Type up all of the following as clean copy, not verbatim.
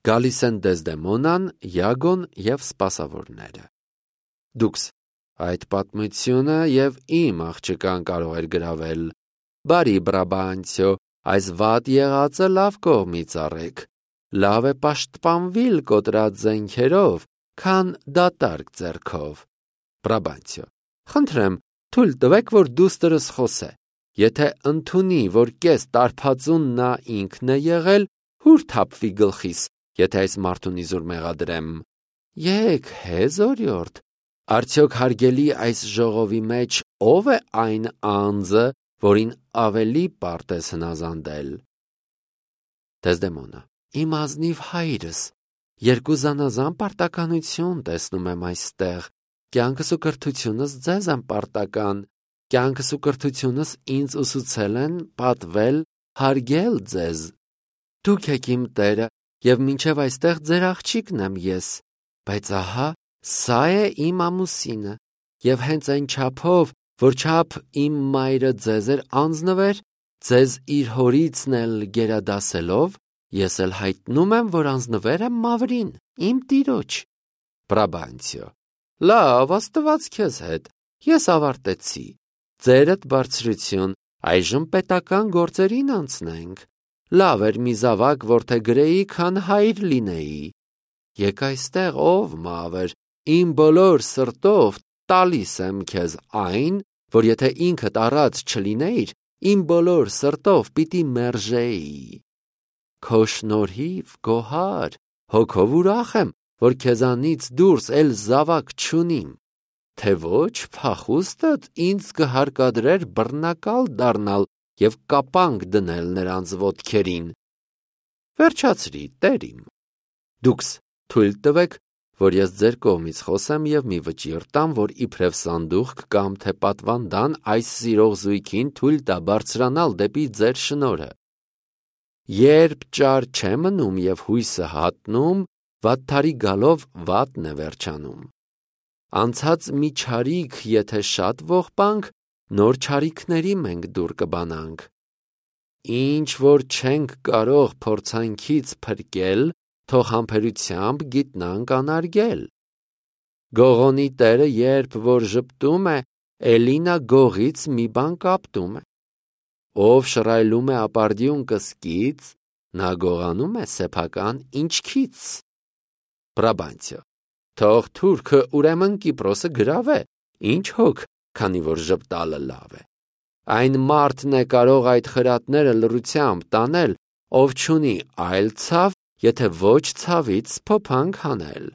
Գալիս են Դեզդեմոնան, Յագոն և սպասավորները։ Դուքս այդ պատմությունը և իմ աղջկան կարող էր գրավել։ Բարի Բրաբանցիո, այս վատ եղածը լավ կողմից առեք։ Լավ է պաշտպանվիլ կոտրած զենքերով, քան դատարկ ձեռքով։ Բրաբանցիո. Խնդրեմ, թույլ տվեք, որ դուստրս խոսե։ Եթե ընդունի, որ կես տարբածուն նա ինքն է եղել, հուր թափվի գլխիս, եթե այս մարդուն իզուր մեղադրեմ։ Եկ հեզ օրիորդ, արդյոք հարգելի այս ժողովի մեջ ով է այն անձը, որին ավելի պարտ ես հնազանդել։ Դեզդեմոնա. Իմ ազնիվ հայրս, երկու զանազան պարտականություն տեսնում եմ այստեղ։ Կյանքս ու կրթությունս ձեզ եմ պարտական, կյանքս ու կրթությունս ինձ ուսուցել են պատվել, հարգել ձեզ։ Դուք եք իմ տերը, և մինչև այստեղ ձեր աղջիկն եմ ես, բայց ահա, սա է իմ ամուսինը, և հենց այն չափով, որ չափ իմ մայրը ձեզ էր անձնվեր, ձեզ իր հորիցն էլ գերադասելով, ես էլ հայտնում եմ, որ անձնվեր եմ մավրին, իմ տիրոջ։ Բրաբանցիո. Լավ, Աստված քեզ հետ, ես ավարտեցի։ Ձերդ բարձրություն, այժմ պետական գործերին անցնենք։ Լավ էր մի զավակ որդեգրեի, քան հայր լինեի։ Եկ այստեղ ով մավր, իմ բոլոր սրտով տալիս եմ քեզ այն, որ եթե ինքդ առած չլինեիր, իմ բոլոր սրտով պիտի մերժեի։ Քո շնորհիվ, գոհար, հոգով ուրախ եմ, որ քեզանից դուրս էլ զավակ չունիմ, թե ոչ փախուստդ ինձ կհարկադրեր բռնակալ դառնալ և կապանք դնել նրանց ոտքերին։ Վերջացրի, տեր իմ։ Դուքս թույլ տվեք, որ ես ձեր կողմից խոսեմ և մի վճիռ տամ, որ իբրև սանդուղք կամ թե պատվանդան այս սիրող զույգին թույլ տա բարձրանալ դեպի ձեր շնորհը։ Երբ ճար չէ մնում և հույսը հատնում, վատթարի գալով վատն է վերջանում։ Անցած մի չարիք եթե շատ ողբանք, նոր չարիքների մենք դուր կբանանք։ Ինչ որ չենք կարող փորձանքից փրկել, թող համբերությամբ գիտնանք անարգել։ Գողոնի տերը երբ որ ժպտում է, էլինա գողից մի բան կապտում է։ Ով շռայլում է ապարդյուն կսկից, նա գողանում է սեփական ինչքից։ Բրաբանցիո. Թող թուրքը ուրեմն Կիպրոսը գրավե, ինչ հոգ, քանի որ ժպտալը լավ է։ Այն մարդն է կարող այդ խրատները լռությամբ տանել, ով չունի այլ ցավ, եթե ոչ ցավից սփոփանք հանել։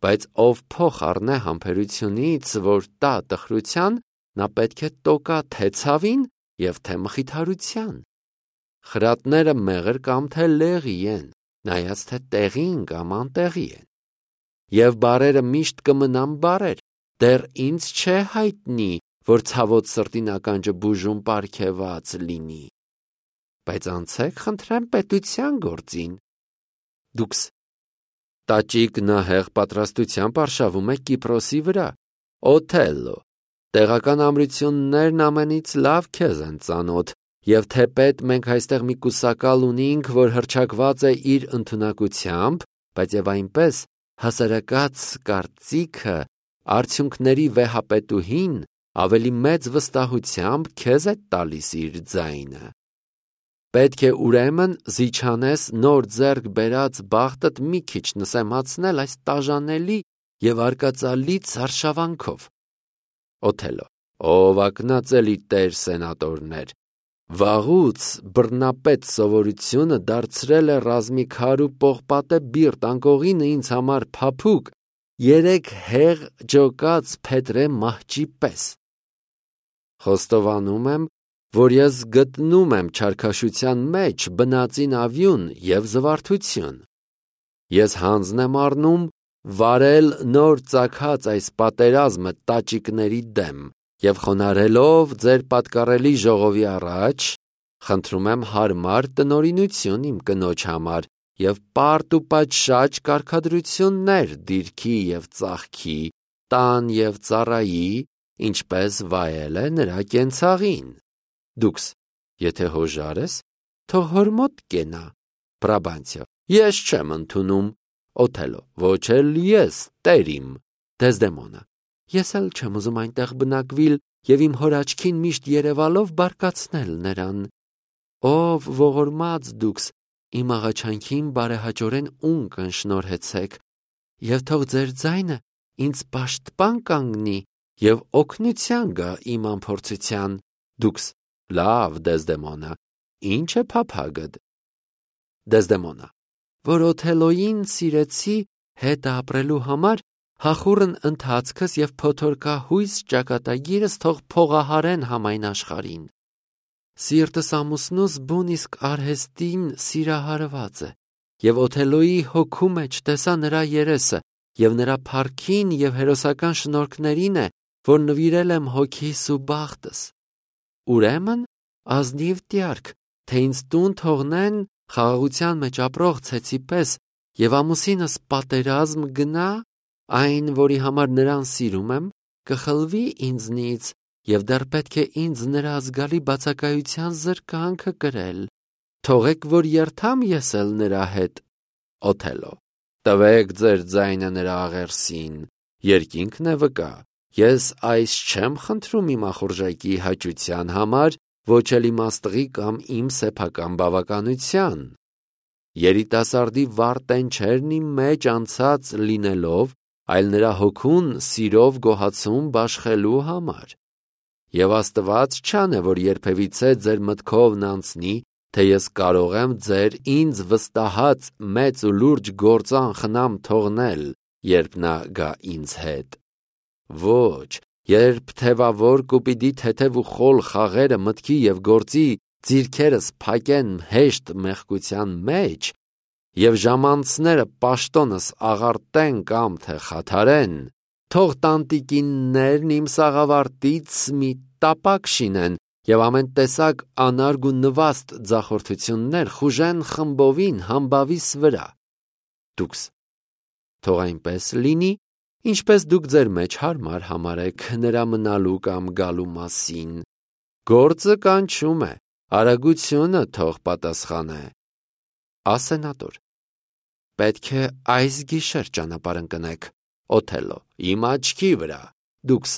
Բայց ով փոխ առնե համբերությունից, որ տա տխրության, նա պետք է տոկա թե ցավին և թե մխիթարության։ Խրատները մեղր կամ թե լեղի են, նայած թե տեղին կամ անտեղի են։ Եվ բարերը միշտ կմնան բարեր, դեռ ինձ չէ հայտնի, որ ցավոտ սրտին ականջը բուժում պարգևած լինի։ Բայց անցեք խնդրեմ պետության գործին։ Դուքս տաճիկ նահեղ պատրաստությամբ արշավում է Կիպրոսի վրա։ Օթելլո, տեղական ամրություններն ամենից լավ քեզ են ծանոթ, և թեպետ մենք այստեղ մի կուսակալ ունենք, որ հռչակված է իր ընդունակությամբ, բայց և այնպես հասարակած կարծիքը արդյունքների վեհապետուհին ավելի մեծ վստահությամբ քեզ է տալիս իր ձայնը։ Պետք է ուրեմն զիջանես նոր ձեռք բերած բախտդ մի քիչ նսեմացնել այս տաժանելի և արկածալից արշավանքով։ Օթելլո. Ով ակնածելի տեր սենատորներ, վաղուց բռնապետ սովորությունը դարձրել է ռազմիկար ու պողպատե բիրտ անկողինը ինձ համար փափուկ, երեք հեղ ջոկած փետրե մահճի պես։ Խոստովանում եմ, որ ես գտնում եմ չարքաշության մեջ բնածին ավյուն և զվարթություն։ Ես հանձն եմ առնում վարել նոր ծագած այս պատերազմը տաճիկների դեմ և խոնարհելով ձեր պատկառելի ժողովի առաջ, խնդրում եմ հարմար տնօրինություն իմ կնոջ համար և պարտ ու պատշաճ կարգադրություններ դիրքի և ծախքի, տան և ծառայի, ինչպես վայել է նրա կենցաղին։ Դուքս եթե հոժար ես, թող հոր մոտ կենա։ Բրաբանցիո. Ես չեմ ընդունում։ Օթելո. Ոչ էլ ես, տեր իմ։ Դեզդեմոնա. Ես էլ չեմ ուզում այնտեղ բնակվիլ եւ իմ հոր աչքին միշտ երևալով բարկացնել նրան։ Ով ողորմած դուքս, իմ աղաչանքին բարեհաճորեն ունկն շնորհեցեք, եւ թող ձեր ձայնը ինձ պաշտպան կանգնի եւ օգնության գա իմ անփորձության։ Դուքս. Լավ, Դեզդեմոնա, ինչ է փափագդ։ Դեզդեմոնա. Որ Օթելոյին սիրեցի հետ ապրելու համար, հախուռն ընթացքս եւ փոթորկահույս ճակատագիրս թող փողահարեն համայն աշխարհին։ Սիրտս ամուսնուս բուն իսկ արհեստին սիրահարված է, եւ Օթելոյի հոգու մեջ տեսա նրա երեսը, եւ նրա փառքին եւ հերոսական շնորհքներին է, որ նվիրել եմ հոգիս ու բախտս։ Ուրեմն ազնիվ տյարք, թե ինձ տուն թողնեն խաղաղության մեջ ապրող ցեցի պես, եւ ամուսինս պատերազմ գնա, այն, որի համար նրան սիրում եմ, կխլվի ինձնից, եւ դեռ պետք է ինձ նրա ազգալի բացակայության զրկանքը կրել։ Թողեք, որ երթամ ես էլ նրա հետ։ Օթելո. Տվեք ձեր ձայնը նրա աղերսին, երկինքն է վկա, ես այս չեմ խնդրում իմ ախորժակի հաճության համար, ոչ էլ իմ աստղի կամ իմ սեփական բավականության։ Երիտասարդի վարտենչերն իմ մեջ անցած լինելով, այլ նրա հոգուն սիրով գոհացում բաշխելու համար։ Եվ Աստված չանե, որ երբևիցե ձեր մտքովն անցնի, թե ես կարող եմ ձեր ինձ վստահած մեծ ու լուրջ գործան խնամ թողնել, երբ նա գա ինձ հետ։ Ոչ, երբ թևավոր կուպիդի թեթև ու խոլ խաղերը մտքի եւ գործի ձիրքերս փակեն հեշտ մեղքության մեջ, եւ ժամանցները պաշտոնս աղարտեն կամ թե խաթարեն, թող տանտիկիններն իմ սաղավարտից մի տապակ շինեն եւ ամեն տեսակ անարգ ու նվաստ ձախորդություններ խուժեն խմբովին համբավիս վրա։ Դուքս. թող այնպես լինի, ինչպես դուք ձեր մեջ հարմար համարեք նրա մնալու կամ գալու մասին։ Գործը կանչում է, արագությունը թող պատասխանե։ Ասենատոր. Պետք է այս գիշեր ճանապարհ ընկնեք։ Օթելո. Իմ աչքի վրա։ Դուքս.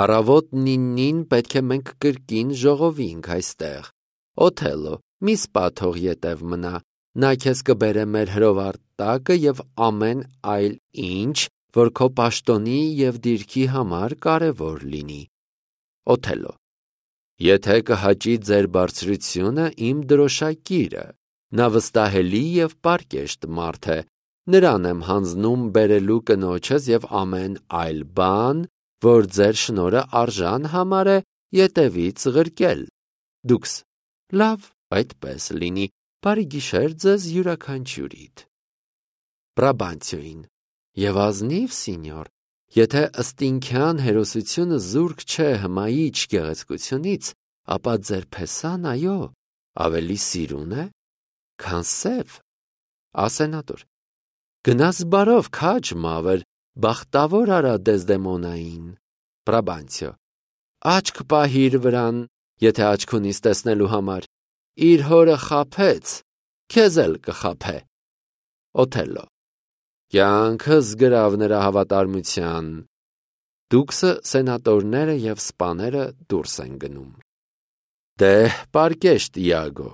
առավոտ 9-ին պետք է մենք կրկին ժողովինք այստեղ։ Օթելո. մի սպա թող ետև մնա, նա քեզ կբերե մեր հրովար տակը եւ ամեն այլ ինչ, որ քո պաշտոնի եւ դիրքի համար կարեւոր լինի։ Օթելո. Եթե կհաճի ձեր բարձրությունը իմ դրոշակիրը, նա վստահելի եւ պարկեշտ մարդ է, նրան եմ հանձնում բերելու կնոջս եւ ամեն այլ բան, որ ձեր շնորհը արժան համարե ետևից ղրկել։ Դուքս. լավ, այդպես լինի, բարի գիշեր ձեզ յուրաքանչյուրիդ։ Բրաբանցիոին. եւ ազնիվ սինյոր, եթե ըստինքյան հերոսությունը զուրկ չէ հմայիչ գեղեցկությունից, ապա ձեր փեսան, այո, ավելի սիրուն է, քան սև։ Ասենատոր. գնաս բարով, քաջ մավր, բախտավոր արա Դեզդեմոնային։ Բրաբանցիո. աչք պահիր վրան, եթե աչք ունիս տեսնելու համար, իր հորը խաբեց, քեզ էլ կխաբե։ Օթելո. կյանքս գրավ նրա հավատարմության։ Դուքսը, սենատորները եւ սպաները դուրս են գնում։ Դե, պարկեշտ Իագո,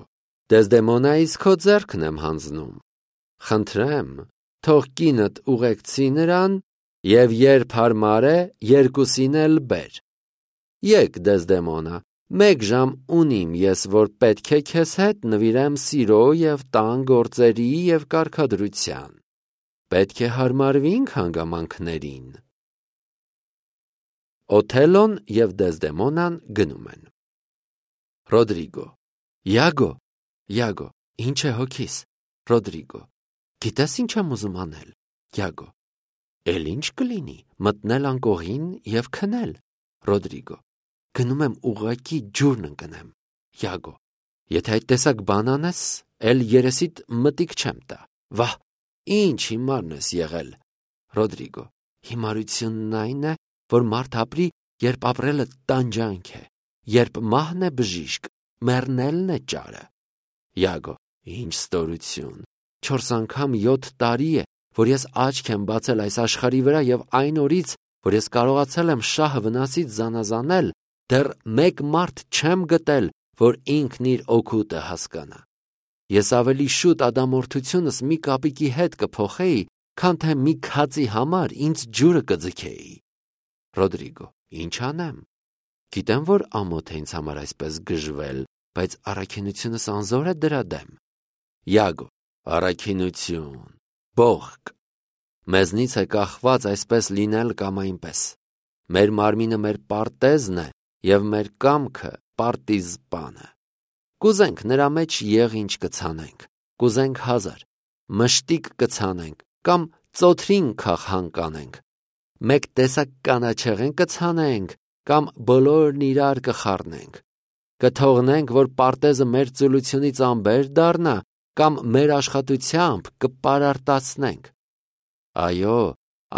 Դեզդեմոնայից քո ձեռքն եմ հանձնում։ Խնդրեմ, թող կինդ ուղեկցի նրան եւ երբ հարմար է, երկուսին էլ բեր։ Եկ Դեզդեմոնա, 1 ժամ ունիմ ես, որ պետք է քեզ հետ նվիրեմ սիրո եւ տան գործերի եւ կարգադրության։ Պետք է հարմարվինք հանգամանքներին։ Օթելոն եւ Դեզդեմոնան գնում են։ Ռոդրիգո. Իագո, ինչ է հոգիս։ Ռոդրիգո. գիտես ինչ եմ ուզում անել։ Իագո. էլ ինչ կլինի, մտնել անկողին եւ քնել։ Ռոդրիգո. գնում եմ ուղղակի ջուրն ընկնեմ։ Իագո. եթե այդ տեսակ բան անես, էլ երեսիդ մտիկ չեմ տա։ Վահ, ինչ հիմարն ես եղել։ Ռոդրիգո. հիմարությունն այն է, որ մարդ ապրի, երբ ապրելը տանջանք է, երբ մահն է բժիշկ, մեռնելն է ճարը։ Իագո. ինչ ստորություն։ 4 անգամ 7 տարի է, որ ես աչք եմ բացել այս աշխարհի վրա եւ այն օրից, որ ես կարողացել եմ շահը վնասից զանազանել, դեռ մեկ մարդ չեմ գտել, որ ինքն իր օգուտը հասկանա։ Ես ավելի շուտ ադամորդությունս մի կապիկի հետ կփոխեի, քան թե մի քածի համար ինձ ջուրը կձգեի։ Ռոդրիգո. Ինչ անեմ։ Գիտեմ, որ ամոթ է ինձ համար այսպես գժվել, բայց առաքինությունս անզոր է դրա դեմ։ Յագո. Առաքինություն, բողոք։ Մեզնից է կախված այսպես լինել կամ այնպես։ Մեր մարմինը մեր պարտեզն է եւ մեր կամքը պարտիզպանը։ Կուզենք նրա մեջ եղինչ կցանենք, կուզենք 1000, մշտիկ կցանենք կամ ծոթրին քախան կանենք, մեկ տեսակ կանաչեղեն կցանենք կամ բոլորն իրար կխառնենք, կթողնենք, որ պարտեզը մեր ծուլությունից ամբեր դառնա կամ մեր աշխատությամբ կպարարտացնենք։ Այո,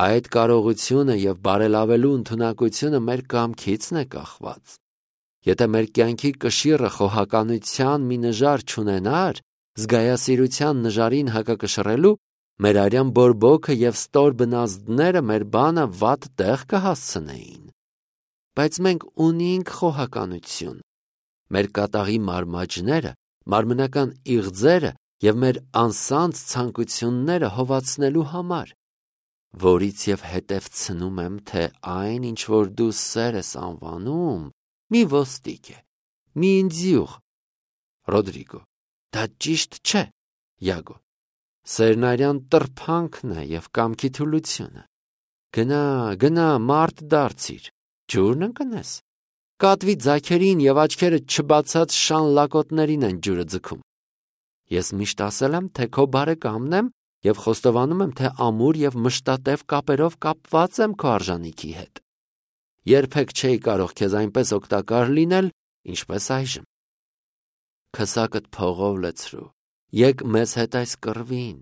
այդ կարողությունը եւ բարելավելու ընդունակությունը մեր կամքիցն է կախված։ Եթե մեր կյանքի կշիռը խոհականության մի նժար չունենար, զգայասիրության նժարին հակակշռելու, մեր արյան բորբոքը եւ ստոր բնազդները մեր բանը վատ տեղ կհասցնեին։ Բայց մենք ունենք խոհականություն։ Մեր կատաղի մարմաճները, մարմնական իղձերը եւ մեր անսանձ ցանկությունները հովացնելու համար, որից եւ հետևցնում եմ, թե այն, ինչ որ դու սեր ես անվանում, մի ոստիկ է, մի ինձյուղ։ Ռոդրիգո. Դա ճիշտ չէ։ Յագո. Սերն արյան տրփանքն է եւ կամքի թուլությունը։ Գնա, մարդ դարձիր, ջուրն ընկնես։ Կատվի ձագերին եւ աչքերը չբացած շան լակոտներին են ջուրը ձգում։ Ես միշտ ասել եմ, թե քո բարեկամն եմ եւ խոստովանում եմ, թե ամուր եւ մշտատև կապերով կապված եմ քո արժանիքի հետ։ Երբեք չէի կարող քեզ այնպես օգտակար լինել, ինչպես այժմ։ Քսակդ փողով լցրու, եկ մեզ հետ այս կռվին,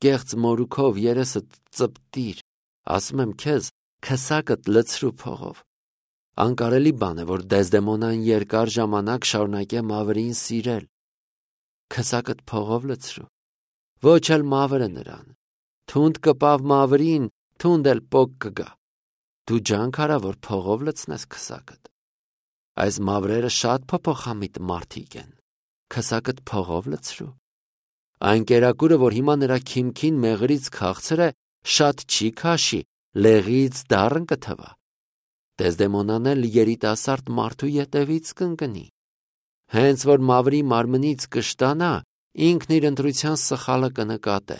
կեղծ մորուքով երեսդ ծպտիր, ասում եմ քեզ, քսակդ լցրու փողով։ Անկարելի բան է, որ Դեզդեմոնան երկար ժամանակ շարունակե Մավրին սիրել։ Քսակդ փողով լցրու։ Ոչ էլ Մավրը նրան։ Թունդ կպավ Մավրին, թունդ էլ պոկ կգա։ Դու ջանք արա, որ փողով լցնես քսակդ։ Այս Մավրերը շատ փոփոխամիտ մարդիկ են։ Քսակդ փողով լցրու։ Այն կերակուրը, որ հիմա նրա քիմքին մեղրից քաղցր է, շատ չի քաշի, լեղից դառն կթվա։ Դեզդեմոնան էլ երիտասարդ մարդու ետևից կընկնի։ Հենց որ Մավրի մարմնից կշտանա, ինքն իր ընտրության սխալը կնկատե։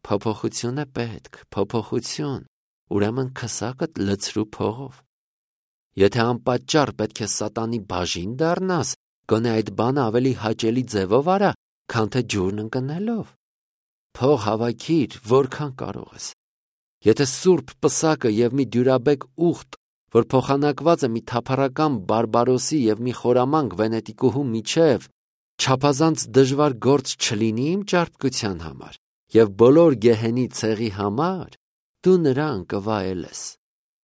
Փոփոխություն է պետք, փոփոխություն, ուրեմն քսակդ լցրու փողով։ Եթե անպատճառ պետք է սատանի բաժին դառնաս, գոնե այդ բանը ավելի հաճելի ձևով արա, քան թե ջուրն ընկնելով։ Փող հավաքիր, որքան կարող ես։ Եթե սուրբ պսակը եւ մի դյուրաբեկ ուխտ, որ փոխանակված է մի թափառական բարբարոսի եւ մի խորամանկ վենետիկուհու միջև, չափազանց դժվար գործ չլինի իմ ճարպկության համար եւ բոլոր գեհենի ցեղի համար, դու նրան կվայել ես։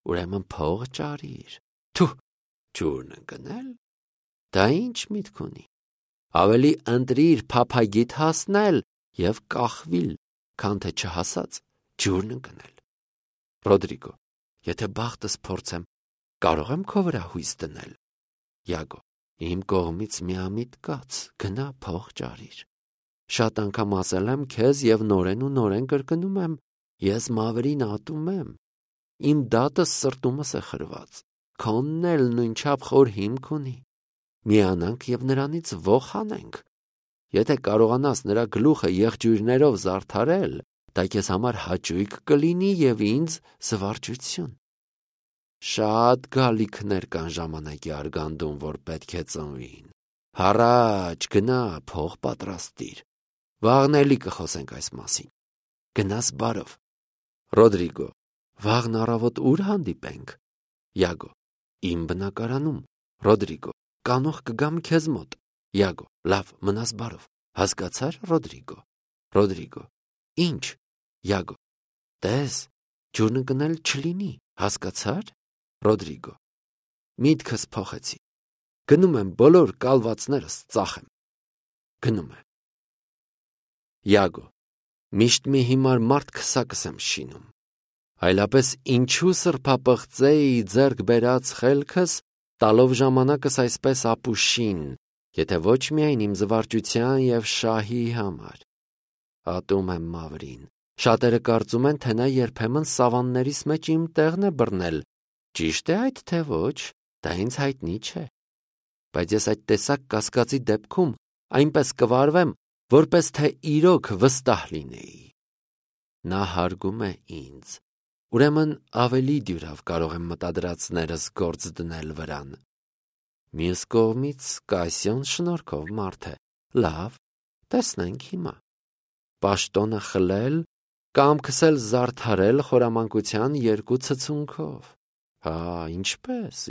Ուրեմն փող ճարիր։ Թու, ջուրն ընկնել։ Դա ինչ միտք ունի։ Ավելի ընտրիր փափագիդ հասնել եւ կախվիլ, քան թե չհասած ջուրն ընկնել։ Ռոդրիգո. Եթե բախտս փորձեմ, կարող եմ քո վրա հույս դնել։ Յագո. Իմ կողմից միամիտ կաց, գնա փող ճարիր։ Շատ անգամ ասել եմ քեզ եւ նորեն կրկնում եմ, ես Մավրին ատում եմ։ Իմ դատը սրտումս է խրված։ Քոնն էլ նույնչափ խոր հիմք ունի։ Միանանք եւ նրանից ոխ անենք։ Եթե կարողանաս նրա գլուխը եղջյուրներով զարդարել, դա քեզ համար հաճույք կլինի եւ ինձ զվարճություն։ Շատ գալիքներ կան ժամանակի արգանդում, որ պետք է ծնվին։ Հառաջ, գնա, փող պատրաստիր։ Վաղն էլի կխոսենք այս մասին։ Գնաս բարով։ Ռոդրիգո. Վաղն առավոտ ուր հանդիպենք։ Յագո. Իմ բնակարանում։ Ռոդրիգո. Կանուխ կգամ քեզ մոտ։ Յագո. Լավ, մնաս բարով։ Հասկացար, Ռոդրիգո։ Ռոդրիգո. Ինչ։ Յագո. Տես, ջուրն ընկնել չլինի, հասկացար։ Ռոդրիգո. Միտքս փոխեցի։ Գնում եմ բոլոր կալվածներս ծախեմ։ Գնում է։ Յագո. Միշտ մի հիմար մարդ քսակս եմ շինում։ Այլապես ինչու սրբապղծեի ձեռք բերած խելքս, տալով ժամանակս այսպես ապուշին, եթե ոչ միայն իմ զվարճության և շահի համար։ Ատում եմ Մավրին։ Շատերը կարծում են, թե նա երբեմն սավաններից մեջ իմ տեղն է բռնել։ Ճիշտ է այդ թե ոչ, դա ինձ հայտնի չէ։ Բայց ես այդ տեսակ կասկածի դեպքում այնպես կվարվեմ, որպես թե իրոք վստահ լինեի։ Նա հարգում է ինձ, ուրեմն ավելի դյուրավ կարող եմ մտադրածներս գործ դնել վրան։ Մյուս կողմից Կասիոն շնորհքով մարդ է, լավ, տեսնենք հիմա։ Պաշտոնը խլել, կամքս էլ զարդարել խորամանկության երկու ցցունքով։ Հա, ինչպես,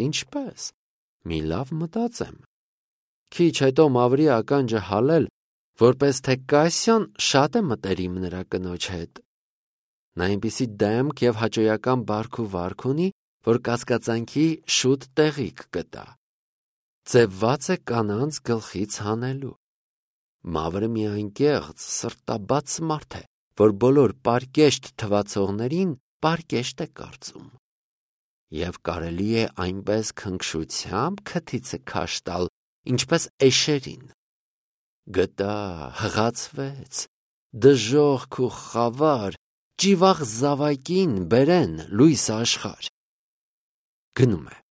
մի լավ մտածեմ։ Քիչ հետո Մավրի ականջը հալել, որպես թե Կասիոն շատ է մտերիմ նրա կնոջ հետ։ Նա այնպիսի դեմք և հաճոյական բարք ու վարք ունի, որ կասկածանքի շուտ տեղիք կտա։ Ձևված է կանանց գլխից հանելու։ Մավրը մի անկեղծ, սրտաբաց մարդ է, որ բոլոր պարկեշտ թվացողներին պարկեշտ է կարծում։ Եվ կարելի է այնպես քնքշությամբ քթիցը քաշ տալ, ինչպես էշերին։ Գտա, հղացվեց, դժոխք ու խավար, ճիվաղ զավակին բերեն լույս աշխարհ։ Գնում է։